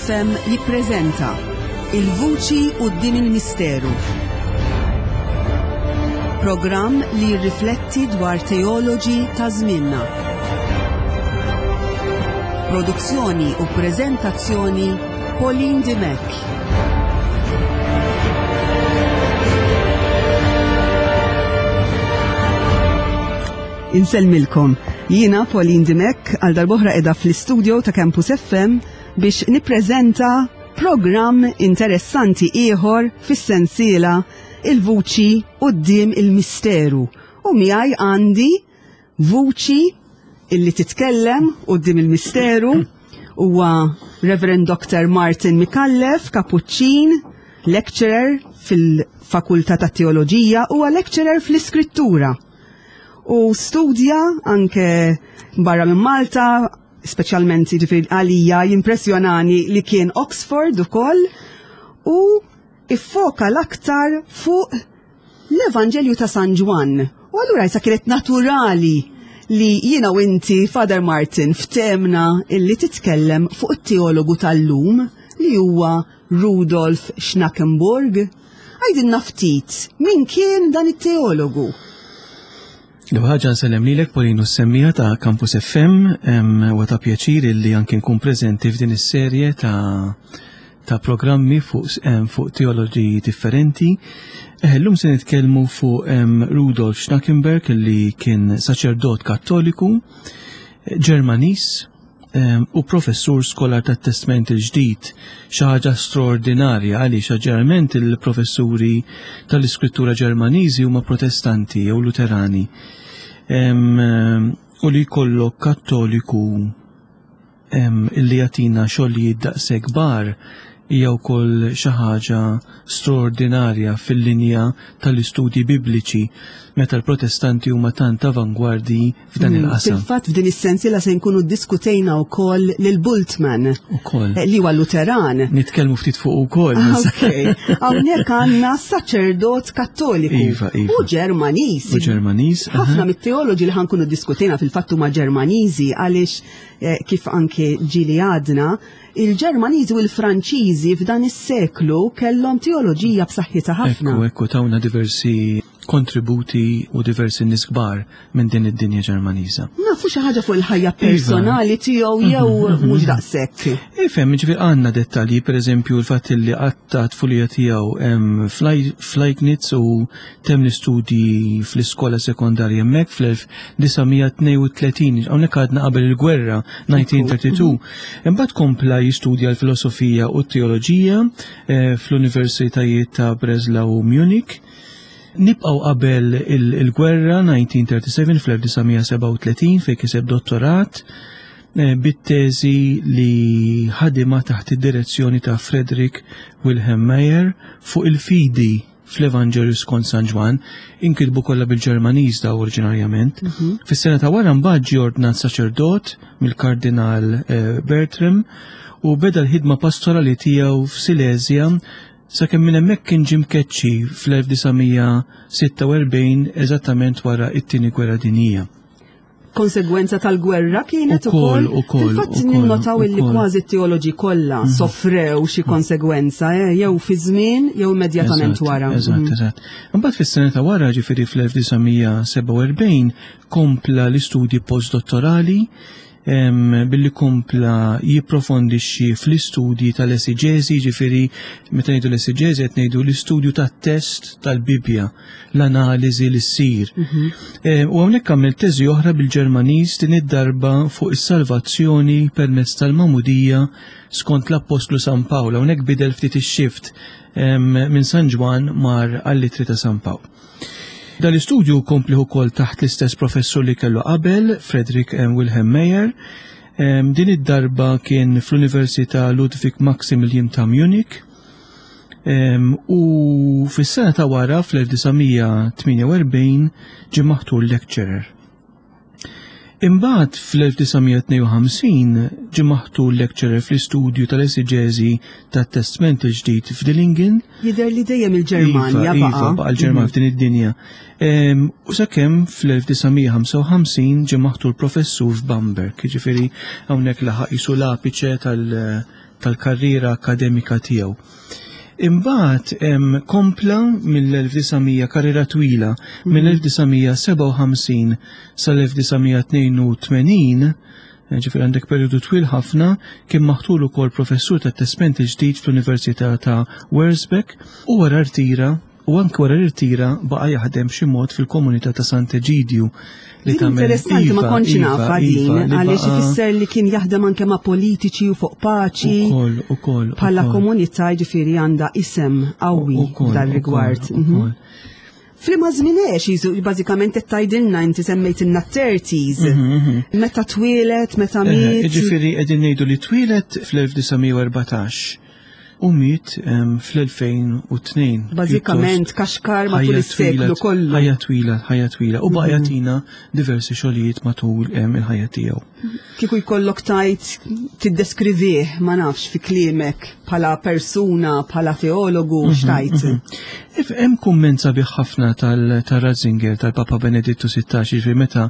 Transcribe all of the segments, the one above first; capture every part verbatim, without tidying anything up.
F M jippreżenta Il-Vuċi Quddiem il-Misteru. Programm li jirrifletti dwar teoloġi ta' żmienna. Produzzjoni u preżentazzjoni, Pauline Dimech. Insellmilkom. Jiena Pauline Dimech, għal darb'oħra qiegħda fl-istudio ta' Campus F M biex nippreżenta programm interessanti ieħor fis-sensiela Il-Vuċi Quddiem il-Misteru. U miegħi għandi vuċi illi titkellem quddiem il-misteru, huwa Reverend Doctor Martin Micallef, Kapuċċin, lecturer fil-Fakultà ta' Teoloġija, huwa lecturer fl-Iskrittura. U studja anke barra minn Malta, speċjalment, jiġifieri għalija jimpressjonani li kien Oxford ukoll u iffoka l-aktar fuq l-Evanġelju ta' San Ġwann. U allura jisa kienet naturali li jiena u inti, Father Martin, ftemna illi titkellem fuq it-teologu tal-lum li huwa Rudolf Schnackenburg. Għidilna ftit, min kien dan it-teologu? L-ewwel ħaġa, nsellem lilek, Pauline, u s-semmiegħa ta' Campus F M, u ta' pjaċir illi anke nkun preżenti f'din is-serje ta' ta' programmi fuq fuq teoloġi differenti. Eh, Illum se nitkellmu fuq Rudolf Schnackenberg, illi kien saċerdot Kattoliku Ġermanis u professur skolar tat Testament il-Ġdid, xi ħaġa straordinarja għaliex ġeneralment il-professuri tal-Iskrittura Ġermaniżi huma Protestanti jew Luterani. U li jkollok Kattoliku illi jagħtina xogħlijiet daqshekk kbar hija wkoll xi ħaġa straordinarja fil-linja tal-istudji bibliċi meta l-Protestanti huma tant avangwardi f'dan Mm, il-qasam. Fil-fatt, f'din is-sensiela se nkunu ddiskutejna wkoll lil Bultmann Ukoll. eh, li huwa Luteran. Nitkellmu ftit fuq ukoll. Ok, hawnhekk għandna saċerdot Kattoliku Iva, iva. u Ġermaniż. U Ġermaniż. aha. Ħafna mit-teoloġi li ħa nkunu ddiskutejna fil-fatt huma Ġermaniżi għaliex eh, kif anke ġieli għadna, il-Ġermaniżi u l-Franċiżi f'dan is-seklu kellhom teoloġija b'saħħitha ħafna. Ekku, ekku, tawna diversi kontributi u diversi nies kbar minn din id-dinja Ġermaniża. Nafu xi ħaġa fuq il-ħajja personali tiegħu jew mhux daqshekk? Ifhem, ġifieri għandna dettalji, per eżempju, l-fatt li qatta' t-tfulija tiegħu em, fl-Leibniz u temm l-istudji fl-iskola sekondarja hemmhekk fl-elf disa' mija tnejn u tletin, hawnhekk għadna qabel il-gwerra, elf disa' mija tnejn u tletin. Imbagħad kompla jistudja l-filosofija u t-teoloġija eh, fl-universitajiet ta' Breslau u Munich. Nibqaw qabel il- il-gwerra elf disa' mija sebgħa u tletin, fl-elf disa' mija sebgħa u tletin, fej kiseb dottorat eh, bit-teżi li ħadima taħt id-direzzjoni ta' Frederick Wilhelm Meyer fuq il-fidi fl-Evanġelju skont San Ġwann, inkitbu kollha bil-Ġermaniż da oriġinarjament. Fis-sena ta' wara mbagħad ġie ordnat saċerdot mill-Kardinal eh, Bertram u beda l-ħidma pastorali tiegħu f'Silesia sakemm minn hemmhekk kien ġie mkeċċi fl-elf disa' mija sitta u erbgħin, eżattament wara it-Tieni Gwerra Dinjija. Konsegwenza tal-gwerra kienet Ukoll, ukoll. Ukoll, Fil-fatt ukoll, ninnotaw illi ukoll. kważi t-teoloġi kollha soffrew xi konsegwenza, eh, jew fi żmien jew immedjatament Eżatt, wara. Eżatt, Mhm. eżatt. Imbagħad fis-sena ta' wara, ġifieri fl-elf disa' mija sebgħa u erbgħin, kompla l-istudji postdottorali em, billi kompla jipprofondixxi fl-istudji tal-esiġeżi, ġifieri meta ngħidu l-esiġeżi qed ngħidu l-istudju tat-test tal-Bibbja, l-analiżi li ssir. Eh, U hawnhekk għamel teżi oħra bil-Ġermaniż, din id-darba fuq is-salvazzjoni permezz tal-Magħmudija skont l-Appostlu San Pawl. Hawnhekk bidel ftit ix-shift em, minn San Ġwann mar għall-Ittri ta' San Pawl. Dal-istudju kompli ukoll taħt l-istess professur li kellu qabel, Frederick eh, Wilhelm Meyer. Em, Din id-darba kien fl-Università Ludwig Maximilian ta' Munich. Em, U fis-sena ta' wara, fl-elf disa' mija tmienja u erbgħin, ġie maħtur lecturer. Imbagħad fl-elf disa' mija tnejn u ħamsin ġie maħtur lecturer fl-istudju tal-esiġeżi tat-Testament il-Ġdid f'Dillingen. Jidher li dejjem il-Ġermanja Iva, iva, baqa'. baqa' l-Ġermanja f'din id-dinja. Em, U sakemm fl-elf disa' mija ħamsa u ħamsin ġie maħtur professur f'Bamberg, jiġifieri hawnhekk laħaq jisu l-apiċe tal- tal-karriera akademika tiegħu. Imbagħad kompla mill-elf disa' mija, karriera twila, mill-elf disa' mija sebgħa u ħamsin sal-elf disa' mija tnejn u tmenin, ġifieri għandek periodu twil ħafna, kien maħtur ukoll professur tat-Testment il-Ġdid fl-Università ta' Wurzburg u wara rtira, u anke wara rtira baqa' jaħdem xi mod fil-komunità ta' Sant'Eġidju. Li interessanti, ma kontx iva, nafha din, iva, għaliex ifisser li kien jaħdem anke ma' politiċi u fuq paċi. Ukoll, ukoll. Bħala komunità, ġifieri, għandha isem qawwi dal-rigward. Mhm. F'liema żmien għex, jizu, bażikament qed tgħidilna inti semmejtilna thirties. Mhm, mhm. Meta twieled, meta eh, miet? Ġifieri qegħdin ngħidu li twieled fl-elf disa' mija u erbatax u miet fl-elfejn u tnejn. Bażikament kaxkar matul is-seklu kollu. Ħajja twila, ħajja twila. U baqa' mhm. jagħtina diversi xogħlijiet matul il-ħajja tiegħu. Kieku jkollok tajt tiddeskrivih, ma nafx, fi kliemek, bħala persuna, bħala teologu, mhm, x'tgħid? Mhm. Hemm kumment sabiħ ħafna tal-Ratzinger, tal-Papa Benedittu Sittax, ġifieri meta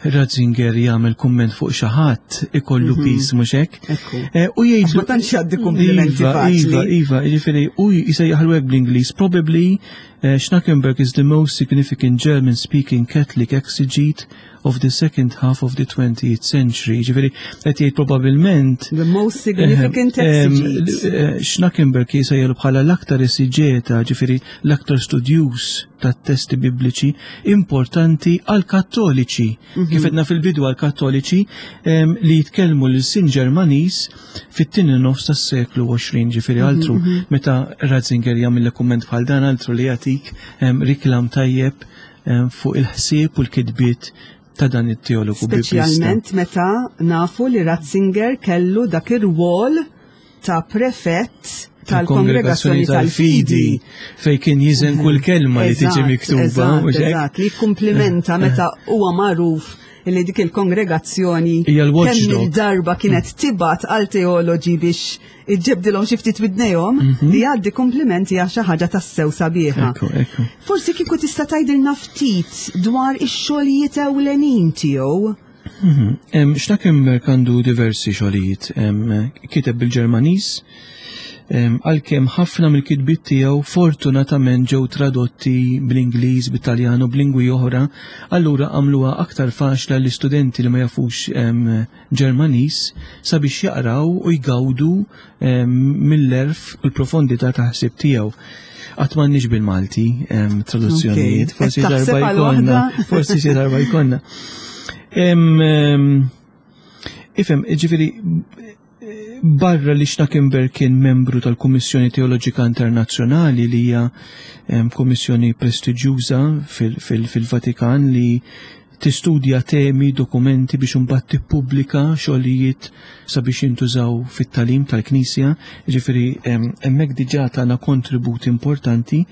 Ratzinger jagħmel kumment fuq xi ħadd ikollu mhm. piż, mhux hekk? Eh, u jgħid ma tantx jgħaddi kumplimenti. Iva, iva, iva, jiġifieri u jsejjaħlu hekk bl-Ingliż. "Probably uh, Schnackenberg is the most significant German-speaking Catholic exegete of the second half of the twentieth century." Ġifieri qed jgħid probabbilment The most significant exegete. Schnackenberg jsejjaħlu bħala l-aktar esiġeta, ġifieri l-aktar studjuż tat-testi bibliċi importanti għal-Kattoliċi. Mhm. Kif għedna fil-bidu, għal-Kattoliċi li jitkellmu l-ilsien Ġermaniż fit-tieni nofs tas-seklu għoxrin, ġifieri mhm, altru mhm. meta Ratzinger jagħmel kumment bħal dan, altru li jagħtik riklam tajjeb fuq il-ħsieb u l-kitbiet ta' dan it-teologu. Speċjalment meta nafu li Ratzinger kellu dak ir-rwol ta' prefett tal-Kongregazzjoni tal-Fidi. Fej kien jiżen kull kelma li tiġi miktuba. Eżatt, li komplimenta meta huwa magħruf li dik il-kongregazzjoni kemm il-darba kienet tibgħat għal teoloġi biex iġġebdilhom xi ftit widnejhom, mhm. li jgħaddi komplimenti għal xi ħaġa tassew sabiħa. Forsi kieku tista' tgħidilna ftit dwar ix-xogħlijiet ewlenin tiegħu. Mhm. Schnackenberg għandu diversi xogħlijiet. Kiteb bil-Ġermaniż, għalkemm ħafna mill-kitbiet tiegħu fortunatament ġew tradotti bl-Ingliż, bit-Taljan u b'lingwi oħra, allura għamluha aktar faċli għall-istudenti li ma jafux Ġermaniż sabiex jaqraw u jgawdu mill-għerf u l-profondità ta' ħsieb tiegħu. Għad m'għandniex bil-Malti traduzzjonijiet, forsi darba jkollna, forsi xi darba jkollna. Ifhem, ġifieri, barra li Schnackenberg kien membru tal-Kummissjoni Teoloġika Internazzjonali, li hija kummissjoni prestiġjuża fil-Vatikan li tistudja temi, dokumenti biex imbagħad tippubblika xogħlijiet sabiex jintużaw fit-tagħlim tal-Knisja, ġifieri hemmhekk diġà tagħna kontribut importanti.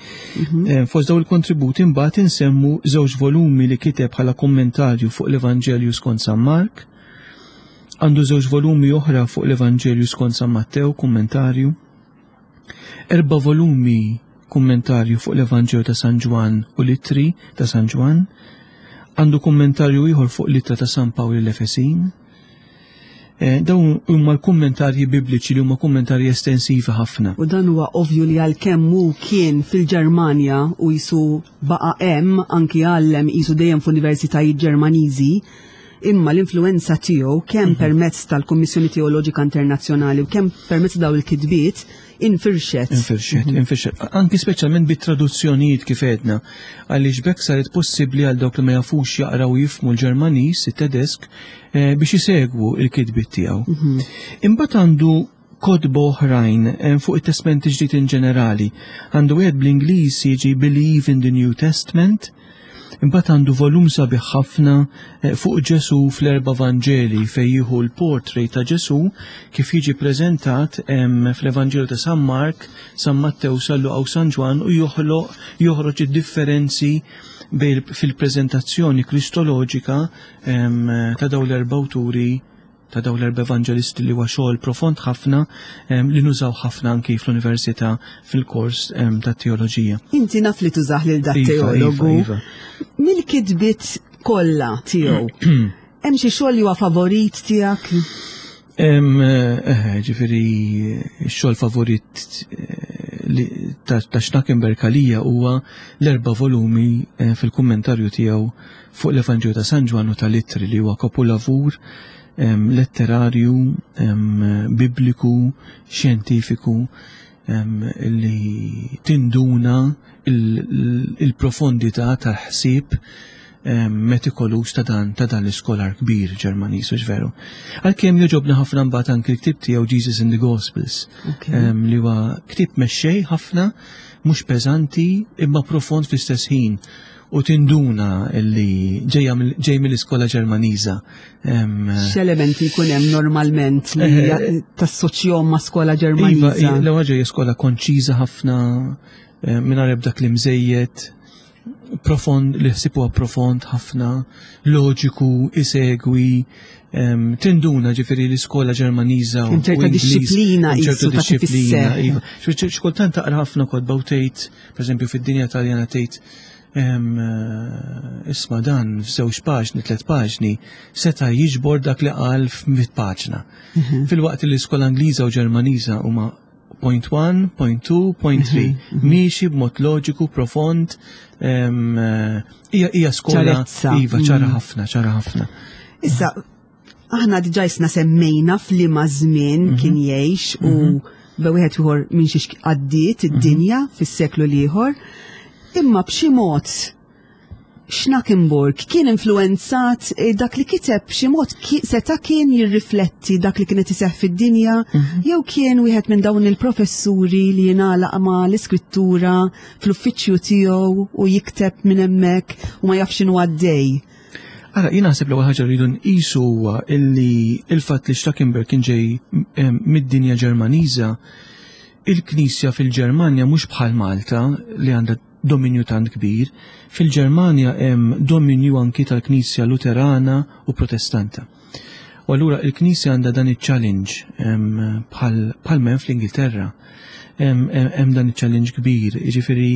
Mhm. Fost daw il-kontributi mbagħad insemmu żewġ volumi li kiteb bħala kommentarju fuq l-Evanġelju skont San Mark. Għandu żewġ volumi oħra fuq l-Evanġelju skont San Mattew, kommentarju. Erba' volumi kummentarju fuq l-Evanġelju ta' San Ġwan u l-Ittri ta' San Ġwan. Għandu kummentarju ieħor fuq l-Ittra ta' San Pawl l-Efesin. Eh, dawn huma l-kummentarji bibliċi li huma kummentarji estensivi ħafna. U dan huwa ovvju li għalkemm hu kien fil-Ġermanja u jisu baqa' hemm, anki għallem jisu dejjem f'universitajiet Ġermaniżi, imma l-influenza tiegħu kemm mhm. permezz tal-Kummissjoni Teoloġika Internazzjonali u kemm permezz daw il-kitbiet infirxet. Infirxet, mhm. infirxet. Anki speċjalment bit-traduzzjonijiet, kif għedna, għaliex b'hekk saret possibbli għal dawk li ma jafux jaqraw u jifhmu l-Ġermaniż, it-Tedesk, eh, biex isegwu il-kitbiet tiegħu. Mhm. Imbagħad għandu kotba oħrajn eh, fuq it-Testament Ġdid in ġenerali. Għandu wieħed bl-Ingliż jiġi Believe in the New Testament. Imbagħad għandu volum sabiħ ħafna eh, fuq Ġesu fl-erba' Vanġeli, fejn jieħu l-portrait ta' Ġesu kif jiġi preżentat fl-Evanġelu ta' San Mark, San Mattew, San Luqa u San Ġwan u joħloq joħroġ id-differenzi fil-preżentazzjoni kristoloġika ta' dawn l-erba' awturi, ta' dawn l-erba' evangelisti, li huwa xogħol profond ħafna li nużaw ħafna anki fl-università fil-kors ta' teoloġija. Inti naf li tużah lil dat Iva, teologu. Iva, iva. Mill-kitbiet kollha tiegħu, hemm xi xogħol li huwa favorit tiegħek? Eh, ġifieri x-xogħol favorit eh, ta' Schnackenberg għalija huwa l-erba' volumi eh, fil-kummentarju tiegħu fuq l-Evanġelju ta' San Ġwann u tal-Ittri, li huwa kapulavur letterarju, bibliku, xjentifiku, li tinduna il-profondità tal-ħsieb metikoluż ta' dan ta' dan l-iskolar kbir Ġermaniż, hux veru? Għalkemm jogħġobna ħafna mbagħad anki l-ktieb tiegħu Jesus in the Gospels, li huwa ktieb mexxej ħafna, mhux peżanti imma profond fl-istess ħin, u tinduna li ġej mill-iskola Ġermaniża. X'elementi jkun hemm normalment li eh, tassoċjahom ma' skola Ġermaniża? Iva, l-ewwel ġej skola konċiża ħafna, mingħajr ebda kliem żejjed, profond, li ħsieb huwa profond ħafna, loġiku, isegwi, tinduna ġifieri l-iskola Ġermaniża. Ċerta dixxiplina. Ċertu dixxiplina. Iva. Xkultant taqra ħafna kotba u tgħid, pereżempju fid-dinja Taljana tgħid, isma' dan f'żewġ paġni, tliet paġni, seta' jiġbor dak li qal f'mitt paġna. Mhm. Filwaqt li l-iskola Ingliża u Ġermaniża huma point one, point two, point three. Mhm, mhm. Miexi b'mod loġiku, profond, hija hija skola iva ċara mm. ħafna, ċara ħafna. Issa, aħna diġà jisna semmejna f'liema żmien mhm. kien jgħix u bejn wieħed u ieħor minn xiex għaddiet id-dinja fis-seklu l-ieħor. Imma b'xi mod Schnackenburg kien influenzat eh, dak li kiteb, b'xi mod seta' kien jirrifletti dak li kienet iseħħ fid-dinja, mhm. jew kien wieħed minn dawn il-professuri li jingħalaq ma' l-iskrittura fl-uffiċċju tiegħu u jikteb minn hemmhekk u ma jafx x'inhu għaddej? Ara, jien naħseb l-ewwel ħaġa rridu nqisu huwa illi il-fatt li Schnackenberg kien ġej mid-dinja Ġermaniża, il-Knisja fil-Ġermanja mhux bħal Malta li għandha dominju tant kbir, fil-Ġermanja hemm dominju anki tal-Knisja Luterana u Protestanta. U allura il-Knisja għandha dan iċ-challenge bħal men fl-Ingilterra. Hemm dan iċ-challenge kbir, jiġifieri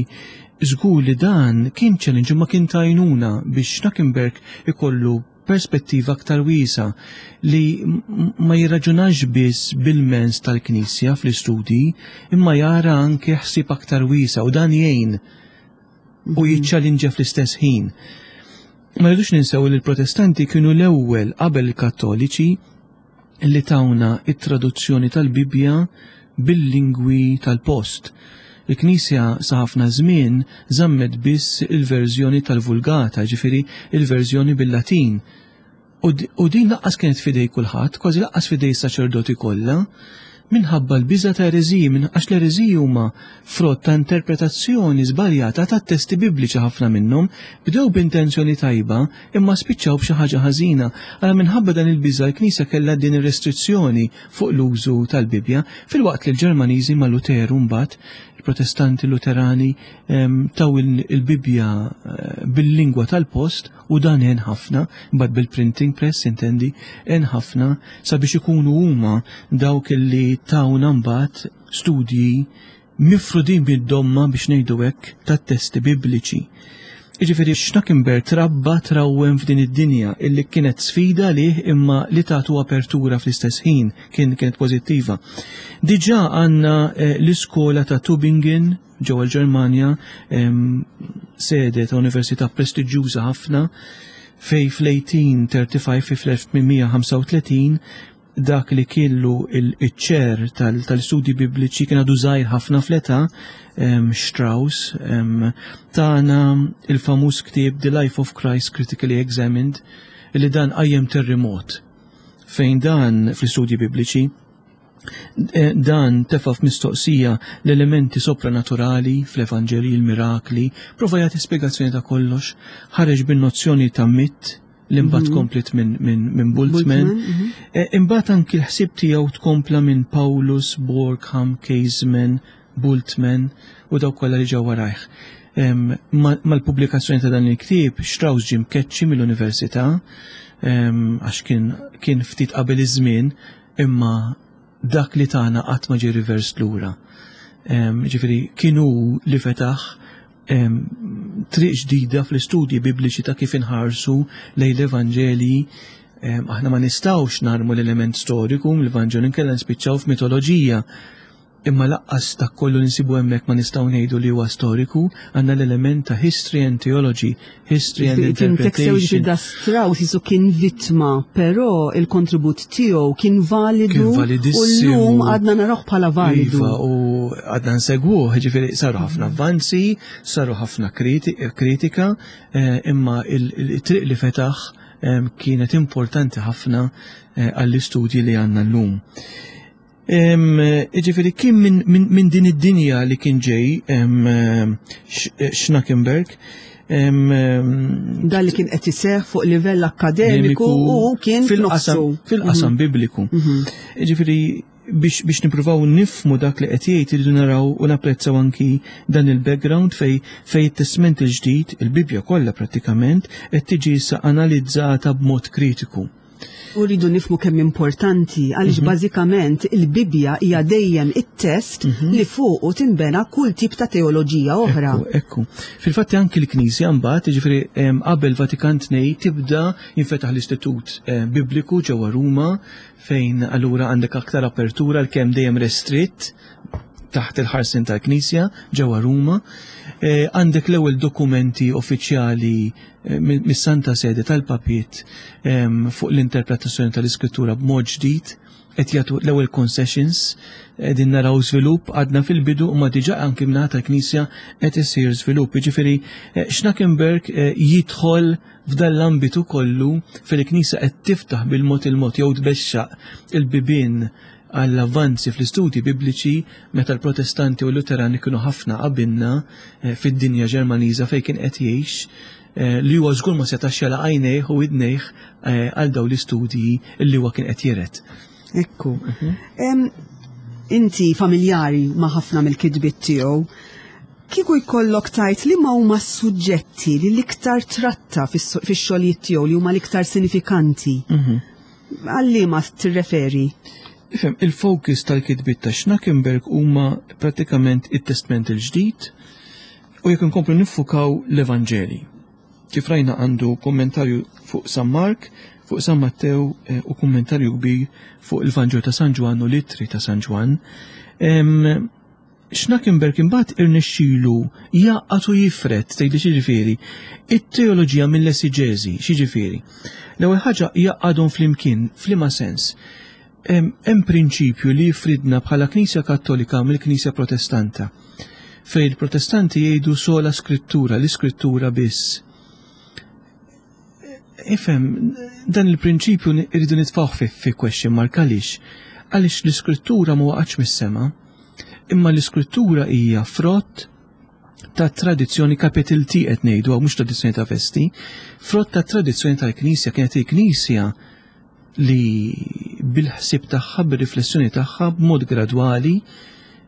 żgur li dan kien challenge ma kien tajnuna biex Schnackenberg ikollu perspettiva aktar wiesa li ma jirraġunax biss bil-mens tal-Knisja fl-istudji, imma jara anke ħsieb aktar wiesa, u dan jgħin u mhm. jiċċallinġa fl-istess ħin. Ma rridux ninsew li l-Protestanti kienu l-ewwel qabel il-Kattoliċi li tawna it-traduzzjoni tal-Bibbja bil-lingwi tal-post. Il-Knisja sa ħafna żmien żammet biss il-verżjoni tal-Vulgata, ġifieri il-verżjoni bil-Latin. U din lanqas kienet f'idej kulħadd, kważi lanqas f'idej saċerdoti kollha, minħabba l-biża ta' ereżiji, minn għax l-ereżiji huma frott ta' interpretazzjoni żbaljata ta' testi bibliċi. Ħafna minnhom bdew b'intenzjoni tajba imma spiċċaw b'xi ħaġa ħażina. Għala minħabba dan il-biża l-Knisja kellha din ir-restrizzjoni fuq l-użu tal-Bibbja, filwaqt li l-Ġermaniżi ma' Luteru mbagħad, il-Protestanti Luterani, taw il-Bibbja eh, bil-lingwa tal-post, u dan għen ħafna, mbagħad bil-printing press intendi, għen ħafna sabiex ikunu huma dawk li tawna mbagħad studji mifrudin bid-domma, biex ngħidu hekk, tat-testi bibliċi. Jiġifieri Schnackenberg trabba, trawwem f'din id-dinja illi kienet sfida lih imma li tatu apertura fl-istess ħin, kien kienet pożittiva. Diġà għandna eh, l-iskola ta' Tübingen ġewwa l-Ġermanja, sede ta' università prestiġjuża ħafna, fej fl-eighteen thirty-five, fl-elf tmien mija ħamsa u tletin, dak li kellu il-chair tal-studi bibliċi kien għadu żgħir ħafna fl-età, Strauss, tana il-famuż ktieb The Life of Christ Critically Examined, li dan qajjem terremot fejn dan fl-istudji bibliċi eh, dan tefa' f'mistoqsija l-elementi sopranaturali fl-Evanġeli, il-mirakli, prova jagħti spjegazzjoni ta' kollox, ħareġ bin-nozzjoni ta' mit li mbagħad mhm. komplet minn min, min Bultmann. Mhm. Eh, imbagħad anki l-ħsieb tiegħu tkompla minn Paulus, Borkham, Käsemann, Bultmann u dawk kollha li ġew warajh. Mal-pubblikazzjoni ta' dan il-ktieb, Strauss ġie mkeċċi mill-università għax kien, kien ftit qabel iż-żmien, imma dak li tana qatt ma ġie reverse lura. Ġifieri kienu li fetaħ triq ġdida fl-istudji bibliċi ta' kif inħarsu lejn l-Evanġeli. Aħna ma nistgħux narmu l-element storiku mill-Vanġelu, inkella nispiċċaw f'mitoloġija. Imma lanqas ta' kollu nsibu hemmhekk ma nistgħu ngħidu li huwa storiku, għandna l-element ta' history and theology, history and interpretation. Da Strauss jisu kien vittma, però il-kontribut tiegħu kien validu. Kien validissimu. U llum għadna narawh bħala validu. Iva, u għadna nsegwuh, ġifieri saru ħafna avvanzi, saru ħafna kritika, eh, imma il-triq li fetaħ kienet importanti ħafna eh, għall-istudji li għandna llum. Ġifieri kien minn din id-dinja li kien ġej Schnackenberg. Dan li kien qed iseħħ fuq livell akkademiku u kien fil-qasam fil-qasam mhm. bibliku. Mhm. Ġifieri biex, biex nipruvaw nifhmu dak li qed jgħid, irridu naraw u napprezzaw anki dan il-background fej fej it-Testament il-Ġdid, il-Bibja kollha prattikament, qed tiġi issa analizzata b'mod kritiku. U rridu nifhmu kemm importanti għaliex mm -hmm. bażikament il-Bibja hija dejjem it-test mm -hmm. li fuqu tinbena kull tip ta' teoloġija oħra. Ekku, ekku. Fil-fatt anki l-Knisja mbagħad, jiġifieri qabel Vatikan tnejn, tibda jinfetaħ l-Istitut eh, Bibliku ġewwa Ruma, fejn allura għandek aktar apertura, l-kemm dejjem restritt taħt il-ħarsin tal-Knisja ġewwa Ruma. Eh, għandek l-ewwel dokumenti uffiċjali eh, mis-Santa Sede tal-Papiet fuq l-interpretazzjoni tal-Iskrittura b'mod ġdid, qed jagħtu l-ewwel concessions. Qegħdin naraw żvilupp, għadna fil-bidu u ma diġà anki mingħata tal-Knisja qed isir żvilupp. Jiġifieri eh, Schnackenberg jidħol f'dan l-ambitu kollu fil-Knisja qed tiftaħ bil-mod il-mod jew tbexxaq il-bibien għall-avvanzi fl-istudji bibliċi, meta l-Protestanti u l-Luterani kienu ħafna qabilna eh, fid-dinja Ġermaniża fejn kien qed jgħix, eh, li huwa żgur ma setax jagħlaq għajnejh u widnejh eh, għal dawn l-istudji li huwa kien qed jiret. Ekku. Mhm. Inti familjari ma' ħafna mill-kitbiet tiegħu. Kieku jkollok tgħid li ma huma suġġetti li l-iktar tratta fix-xogħlijiet tiegħu, li huma l-iktar sinifikanti, mhm. għal liema tirreferi? Ifhem, il-focus tal-kitbiet ta' Schnackenberg huma pratikament it-Testament il-Ġdid u, jekk inkomplu niffukaw, l-Evanġeli. Kif rajna, għandu kommentarju fuq San Mark, fuq San Mattew eh, u kommentarju kbir fuq il-Vanġelu ta' San Ġwan u l-Ittri ta' San Ġwan. Schnackenberg imbagħad irnexxielu jgħaqqad u jifred, tgħidli x'jiġifieri, it-teoloġija mill-esiġeżi, x'jiġifieri? L-ewwel ħaġa, jgħaqqadhom flimkien, f'liema sens? Hemm prinċipju li jifridna bħala Knisja Kattolika mill-Knisja Protestanta. Fej il-Protestanti jgħidu sola scrittura, l-iskrittura biss. Ifhem, dan il-prinċipju irridu nitfgħu fi, fi question mark. Għaliex? Għaliex l-iskrittura ma waqgħatx mis-sema, imma l-iskrittura hija frott ta' tradizzjoni, capital T qed ngħidu, mhux tradizzjoni ta' festi, frott ta' tradizzjoni tal-Knisja. Kienet il-Knisja li bil-ħsib tagħha, bir-riflessjoni tagħha, b'mod gradwali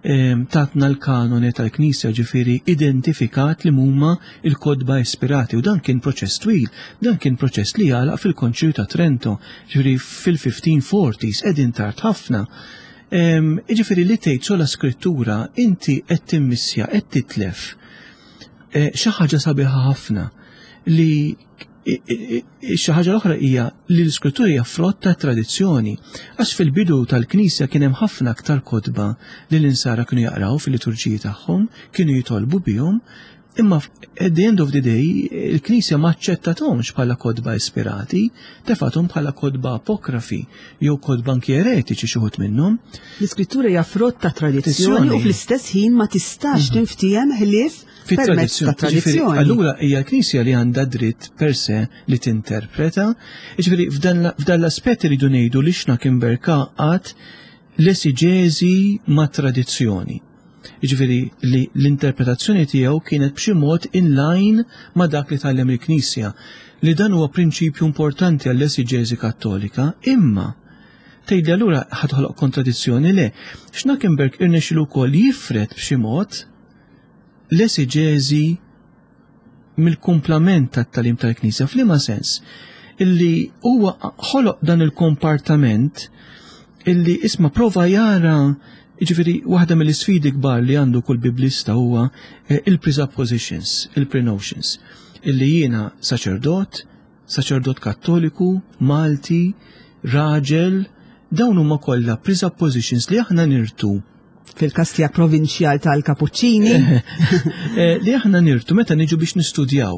tatna l-kanone tal-Knisja, ġifieri identifikat li huma il-kotba ispirati, u dan kien proċess twil, dan kien proċess li għalaq fil-Konċilju ta' Trento, ġifieri fil-fifteen forties, qegħdin tard ħafna. Ġifieri li tgħid sola scrittura, inti qed timmissja, qed titlef e, xi ħaġa sabiħa ħafna, li xi ħaġa l-oħra hija li l-iskrittura hija frott ta' tradizzjoni. Għax fil-bidu tal-Knisja kien hemm ħafna aktar kotba li l-insara kienu jaqraw fil-liturġiji tagħhom, kienu jitolbu bihom, imma at the end of the day il-Knisja ma aċċettathomx bħala kotba ispirati, tefathom bħala kotba apokrafi jew kotba anki eretiċi xi wħud minnhom. L-iskrittura hija frott ta' tradizzjoni u fl-istess ħin ma tistax mhm. tinftiehem ħlief fit-tradizzjoni. Allura hija l-Knisja li għandha dritt per se li tinterpreta. Ġifieri f'dan l-aspett iridu ngħidu li Schnackenberg għaqqad l-esiġeżi ma' tradizzjoni. Ġifieri li l-interpretazzjoni tiegħu kienet b'xi mod in line ma' dak li tgħallem il-Knisja, li dan huwa prinċipju importanti għall-esiġeżi Kattolika, imma tgħidli allura ħa toħloq kontradizzjoni? Le, Schnackenberg irnexxilu wkoll jifred b'xi mod l-esiġeżi mill-kumplament tat-tagħlim tal-Knisja. F'liema sens? Illi huwa ħoloq dan il-kompartament illi isma prova jara. Ġifieri, waħda mill-isfidi kbar li għandu kull biblista huwa eh, il-presuppositions, il-prenotions, illi jiena saċerdot, Saċerdot Kattoliku, Malti, raġel, dawn huma kollha presuppositions li aħna nirtu Fil-każ tiegħek provinċjal tal-Kapuċċini. Eh, li aħna nirtu meta niġu biex nistudjaw.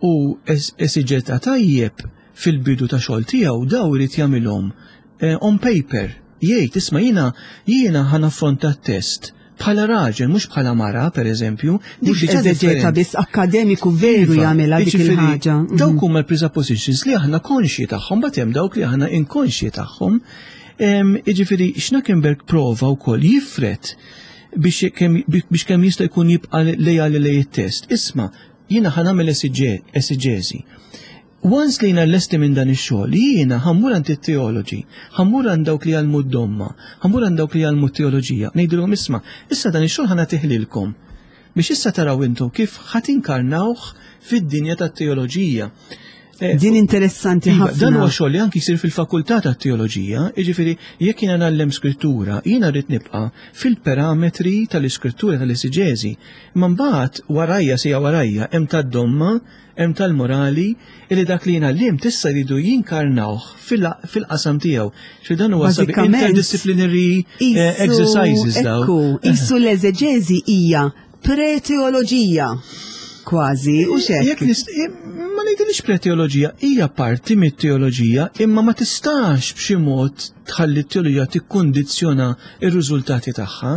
U esiġeta tajjeb fil-bidu ta' xogħol tiegħu daw irid jagħmilhom eh, on paper. Jgħid, "Isma', jiena jiena ħa naffronta t-test bħala raġel, mhux bħala mara, per eżempju." Mhux eżeġeta biss, akkademiku veru iva, jagħmilha dik il-ħaġa. Dawk mhm. huma l-presuppositions li aħna konxji tagħhom, but hemm dawk li aħna inkonxji tagħhom. Jiġifieri Schnackenberg prova wkoll jifred biex kemm jista' jkun jibqa' lejali lejn it-test. "Isma', jiena ħa nagħmel esiġeżi. Once li jiena lesti minn dan ix-xogħol, jiena ħa mmur għand it-teoloġi, ħa mmur għand dawk li jgħallmu d-domma, ħa mmur għand dawk li jgħallmu t-teoloġija, ngħidilhom, 'Isma', issa dan ix-xogħol ħa nagħtih lilkom biex issa taraw intom kif ħa tinkarnawh fid-dinja tat-teoloġija." Eh, Din interessanti iva, ħafna. Dan huwa xogħol li anki jsir fil-fakultà tat-teoloġija, jiġifieri jekk jiena ngħallem skrittura, jiena rrid nibqa' fil-parametri tal-iskrittura tal-esiġeżi. Imma mbagħad warajja sija warajja hemm tad-domma, hemm tal-morali, illi dak li jiena għallimt issa jridu jinkarnawh fil-qasam tiegħu. Xi dan huwa sabi interdisciplinary eh, exercises daw. Ekku, qisu l-eżeġeżi hija pre-teoloġija kważi, u xek. Ma ngħidilix pre-teoloġija, hija parti mit-teoloġija, imma ma tistax b'xi mod tħalli t-teoloġija tikkondizzjona ir-riżultati tagħha.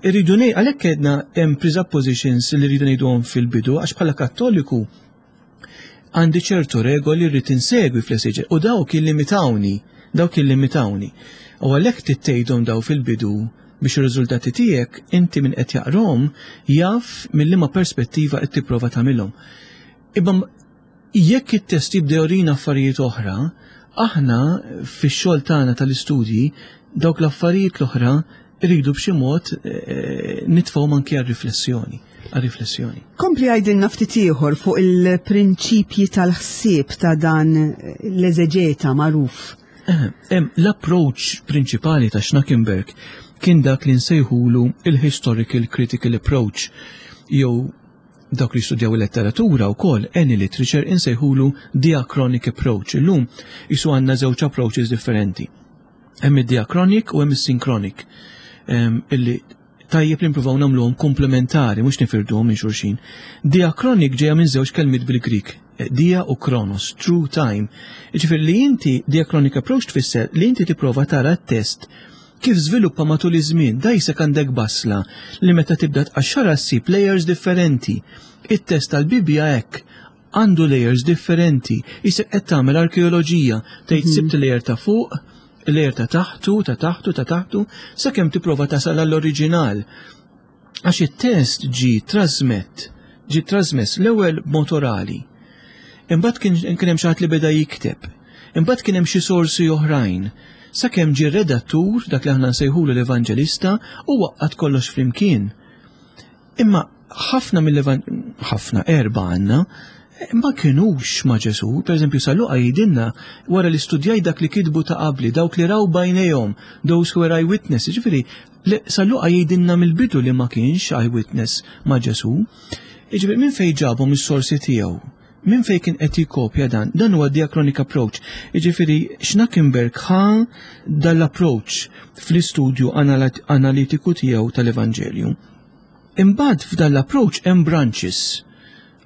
Irridu ngħid għalhekk għedna hemm presuppositions li rridu ngħiduhom fil-bidu, għax bħala Kattoliku għandi ċertu regoli rrid insegwi fl-esiġe u dawk illimitawni, dawk illimitawni. U għalhekk tittejhom daw fil-bidu biex ir-riżultati tiegħek inti minn qed jaqrom jaf mill-liema perspettiva qed tipprova tagħmilhom. Imma jekk it-test jibda jurina affarijiet oħra, aħna fix-xogħol tagħna tal-istudji dawk l-affarijiet l-oħra rridu b'xi mod eh, nitfgħu anki għar-riflessjoni, għar-riflessjoni. Kompli għajdilna ftit ieħor fuq il-prinċipji tal-ħsieb ta' dan l-eżeġeta magħruf. Eh, l-approach prinċipali ta' Schnackenberg kien dak li nsejħulu il-historical critical approach, jew dawk li studjaw il-letteratura u kol, any literature, insejħulu diachronic approach. Illum qisu għandna żewġ approaches differenti. Hemm id-diachronic u hemm is-synchronic. Illi tajjeb li nippruvaw nagħmluhom komplementari, mhux nifirduhom minn xulxin. Diachronic ġejja minn żewġ kelmiet bil-Grik, dia u chronos, through time. Jiġifieri li inti diachronic approach tfisser li inti tipprova tara t-test kif żviluppa matul iż-żmien, daqsek għandek basla li meta tibda tqaxxara ssib layers differenti. It-test tal-Bibja hekk għandu layers differenti. Qisek qed tagħmel arkeoloġija, tgħid mhm. sibt layer ta' fuq, layer ta' taħtu, ta' taħtu, ta' taħtu, sakemm tipprova tasal għall-oriġinal. Għax it-test ġi trasmett, ġi trasmess l-ewwel b'mod orali. Imbagħad kien hemm xi ħadd li beda jikteb. Imbagħad kien hemm xi sorsi oħrajn. Sakemm ġie redattur, dak li aħna nsejħulu l-evanġelista, u għaqqad kollox flimkien. Imma ħafna mill ħafna erba għandna, ma kienux ma' Ġesu. Per eżempju, San Luqa jgħidilna wara li studjaj dak li kitbu ta' qabli, dawk li raw b'għajnejhom, those who were eyewitness, ġifieri, San Luqa jgħidilna mill-bidu li ma kienx eyewitness ma' Ġesu. Ġifieri, minn fejn ġabhom is-sorsi tiegħu? Minn fejn kien qed jikopja dan? Dan huwa diachronic approach. Jiġifieri Schnackenberg ħa dal-approach fl-istudju analitiku tiegħu tal-Evanġelju. Imbagħad f'dan l-approach hemm branches.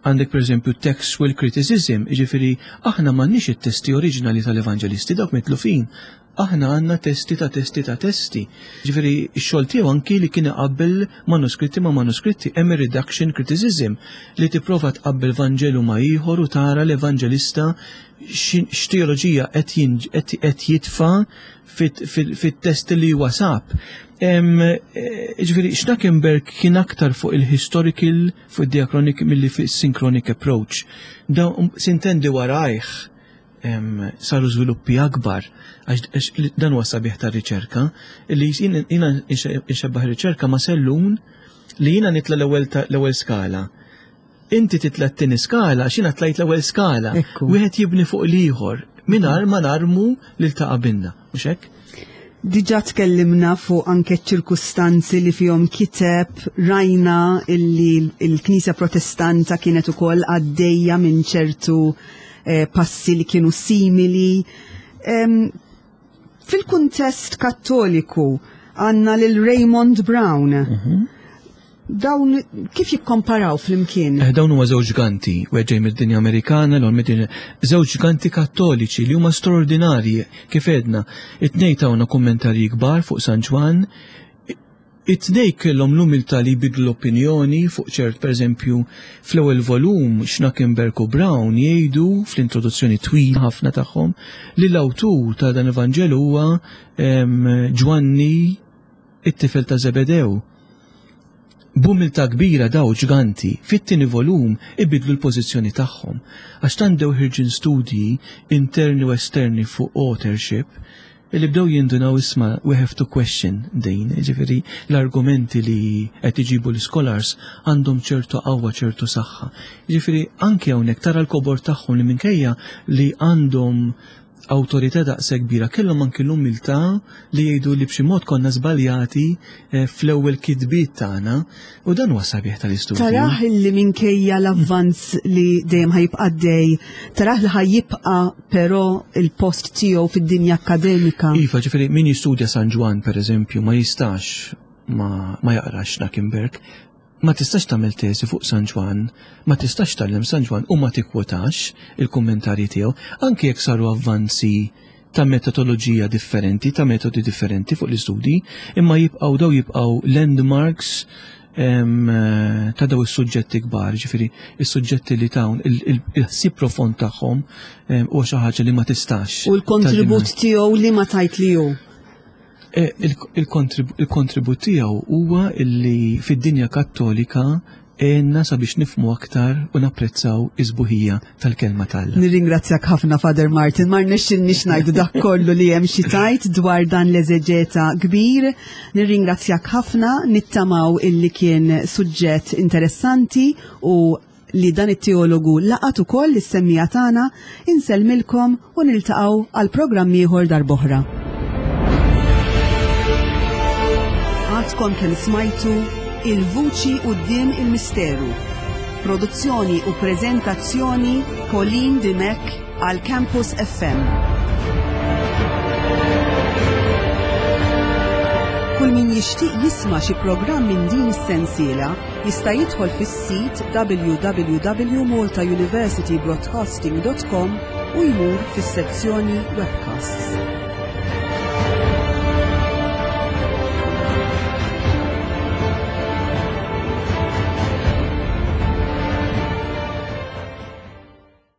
Għandek per eżempju textual criticism, jiġifieri aħna m'għandniex it-testi oriġinali tal-Evanġelisti, dawk mitlufin. Aħna għandna testi ta' testi ta' testi. Ġifieri x-xogħol tiegħu anki li kien iqabbel manuskritti ma' manuskritti, hemm redaction criticism li tipprova tqabbel Vanġelu ma' ieħor u tara l-evanġelista x'teoloġija qed jitfa' fit-test li huwa sab. Eh, ġifieri Schnackenberg kien aktar fuq il-historical, fuq il-diachronic milli fuq il-synchronic approach. Da sintendi warajh saru żviluppi akbar, għax dan huwa sabiħ ta' riċerka, li jiena nxebbaħ riċerka ma' sellun li jiena nitla l-ewwel l-ewwel skala. Inti titla t-tieni skala, x'jiena tlajt l-ewwel skala. Wieħed jibni fuq l-ieħor mingħajr ma narmu lil ta' qabilna, mhux hekk? Diġà tkellimna fuq anke ċirkustanzi li fihom kiteb, rajna illi l-Knisja Protestanta kienet ukoll għaddejja minn ċertu eh, passi li kienu simili. Em, Fil-kuntest kattoliku għandna lil Raymond Brown. Dawn kif jikkomparaw flimkien? Eh, dawn huma żewġ ġganti, wieħed ġej mid-dinja Amerikana, l mid-dinja żewġ ġganti kattoliċi li huma straordinarji kif għedna. It-tnejn tawna kummentarji kbar fuq San Ġwann. It-tnejn kellhom l-umiltà li jbidlu l-opinjoni fuq ċert, pereżempju, fl-ewwel volum Schnackenberg u Brown jgħidu fl-introduzzjoni twila ħafna tagħhom li l-awtur ta' dan il-Vanġelu huwa em, Ġwanni it-tifel ta' Zebedew. B'umiltà kbira daw ġganti fit-tieni volum ibidlu l-pożizzjoni tagħhom għax tant bdew ħirġin studji interni u esterni fuq authorship illi bdew jindunaw isma' we have to question din, ġifieri l-argumenti li qed iġibu l-scholars għandhom ċertu qawwa, ċertu saħħa. Ġifieri anke hawnhekk tara l-kobor tagħhom li minkejja li għandhom awtorità daqshekk kbira kellhom anki l-umiltà li jgħidu li b'xi mod konna żbaljati eh, fl-ewwel kitbiet tagħna u dan huwa sabiħ tal-istudju. Tarah li minkejja l-avvanz li dejjem ħa jibqa' dej, tarah li ħa jibqa' però il-post tiegħu fid-dinja akkademika. Iva, ġifieri min jistudja San Ġwann pereżempju ma jistax ma, ma jaqrax Schnackenberg, ma tistax tagħmel tesi fuq San Ġwann, ma tistax tgħallem San Ġwann u ma tikkwotax il-kummentarji tiegħu, anke jekk saru avvanzi ta' metodoloġija differenti, ta' metodi differenti fuq l-istudji, imma jibqgħu daw jibqgħu landmarks em, ta' daw is-suġġetti kbar, ġifieri is-suġġetti li tawn il-ħsieb profond tagħhom em, huwa xi ħaġa li ma tistax. U l-kontribut tiegħu li ma tajt li hu. Eh, il- Il-kontrib- il-kontribut tiegħu huwa illi fid-dinja kattolika għenna sabiex nifhmu aktar u napprezzaw is-sbuħija tal-kelma t'Alla. Nirringrazzjak ħafna Father Martin, ma rnexxilniex ngħidu dak kollu li hemm xi tgħid dwar dan l-eżeġeta kbir. Nirringrazzjak ħafna, nittamaw illi kien suġġett interessanti u li dan it-teologu laqat ukoll is-semmiegħa tagħna, insellmilkom u niltaqgħu għal programm ieħor darb'oħra. Għadkom kemm smajtu Il-Vuċi Quddiem il-Misteru. Produzzjoni u preżentazzjoni Pauline Dimech għal Campus F M. Kull min jixtieq jisma' xi programm minn din is-sensiela jista' jidħol fis-sit w w w punt malta university broadcasting punt com u jmur fis-sezzjoni webcasts.